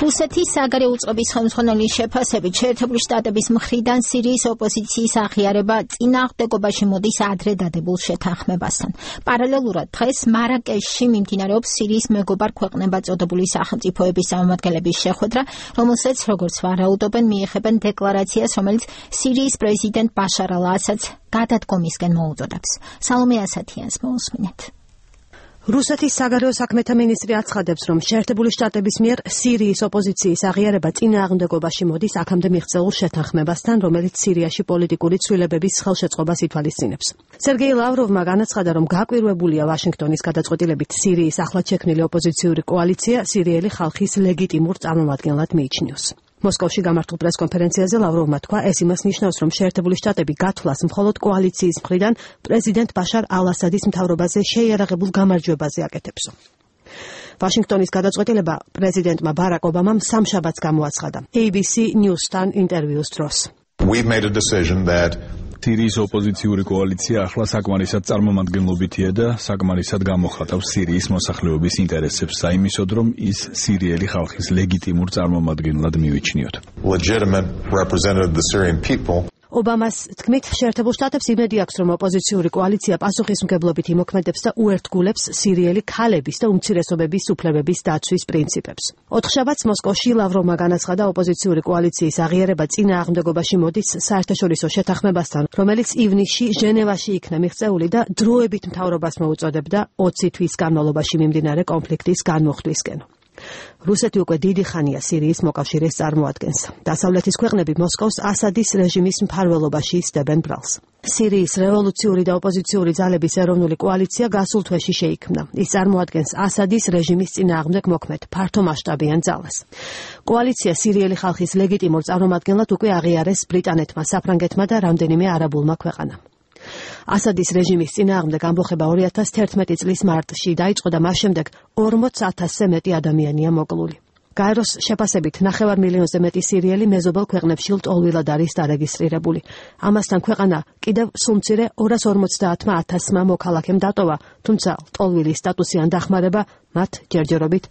რუსეთის საგარეო უწყების ხელმძღვანელის შეფასებით შეერთებული შტატების მხრიდან სირიის ოპოზიციის აღიარება წინააღმდეგობაში მოდის ადრე დადებულ შეთანხმებასთან. პარალელურად დღეს მარაკეშში მიმდინარეობს სირიის მეგობარ ქვეყნებად წოდებული სახელმწიფოების წარმომადგენლების შეხვედრა, რომელსაც, როგორც ვარაუდობენ, მიეხებენ დეკლარაციას, რომელიც სირიის პრეზიდენტ ბაშარ ალ-ასადს გადადგომისკენ მოუწოდებს. სალომე ასათიანს მოусმინეთ. რუსეთის საგარეო საქმეთა მინისტრი აცხადებს, რომ შეერთებული შტატების მიერ სირიის ოპოზიციის აღიარება წინააღმდეგობაში მოდის აქამდე მიღწეულ შეთანხმებასთან, რომელიც სირიაში პოლიტიკური ცვლილებების ხელშეწყობას ითვალისწინებს. სერგეი ლავროვმა განაცხადა, რომ გაკვირვებულია ვაშინგტონის გადაწყვეტილებით სირიის ახლად შექმნილი ოპოზიციური კოალიცია სირიელი ხალხის ლეგიტიმურ წარმომადგენლად მიიჩნიოს. მოსკოვში გამართულ პრესკონფერენციაზე ლავროვმა თქვა, ეს იმას ნიშნავს, რომ შეერთებული შტატები გათვლას მხოლოდ კოალიციის მხრიდან პრეზიდენტ ბაშარ ალ-ასადის მთავრობაზე შეიარაღებულ გამარჯვებაზე აკეთებსო. ვაშინგტონის გადაწყვეტილება პრეზიდენტმა ბარაკ ობამამ სამშაბათს გამოაცხადა ABC News-თან ინტერვიუს დროს. We've made a decision that სირიის ოპოზიციური კოალიცია ახლა საკმარისად წარმომადგენლობითია და საკმარისად გამოხატავს სირიის მოსახლეობის ინტერესებს, საიმისოდ, რომ ის სირიელი ხალხის ლეგიტიმურ წარმომადგენლად მივიჩნიოთ. legitimate representative of the Syrian people. ობამას თქმით, შეერთებულ შტატებს იმედი აქვს, რომ ოპოზიციური კოალიცია პასუხისმგებლობით იმოქმედებს და უერთგულებს სირიელი ქალების და უმცირესობების უფლებების დაცვის პრინციპებს. ოთხშაბათს მოსკოვში ლავროვმა განაცხადა, ოპოზიციური კოალიციის აღიარება წინააღმდეგობაში მოდის საერთაშორისო შეთანხმებასთან, რომელიც ივნისში ჟენევაში იქნა მიღწეული და დროებით მთავრობას მოუწოდებდა 20 თვის განმავლობაში მიმდინარე კონფლიქტის განმუხტვისკენ. რუსეთი უკვე დიდი ხანია სირიის მოკავშირეს წარმოადგენს. დასავლეთის ქვეყნები მოსკოვს ასადის რეჟიმის მფარველობაში იცდებენ ბრალს. სირიის რევოლუციური და ოპოზიციური ძალების ეროვნული კოალიცია გასულ თვეში შეიქმნა. ის წარმოადგენს ასადის რეჟიმის წინააღმდეგ მოქმედ ფართომასშტაბიან ძალას. კოალიცია სირიელი ხალხის ლეგიტიმურ წარმომადგენლად უკვე აღიარეს ბრიტანეთმა, საფრანგეთმა და რამდენიმე არაბულმა ქვეყანამ. ასადის რეჟიმის წინააღმდეგ ამბოხება 2011 წლის მარტში დაიწყო და მას შემდეგ 40,000-ზე მეტი ადამიანია მოკლული. გაეროს შეფასებით 9 მილიონზე მეტი სირიელი მეზობელ ქვეყნებში ლტოლვილად არის დარეგისტრირებული. ამასთან ქვეყანა კიდევ სულ მცირე 250,000-მა მოქალაქემ დატოვა, თუმცა ლტოლვილის სტატუსიან დახმარება მათ ჯერჯერობით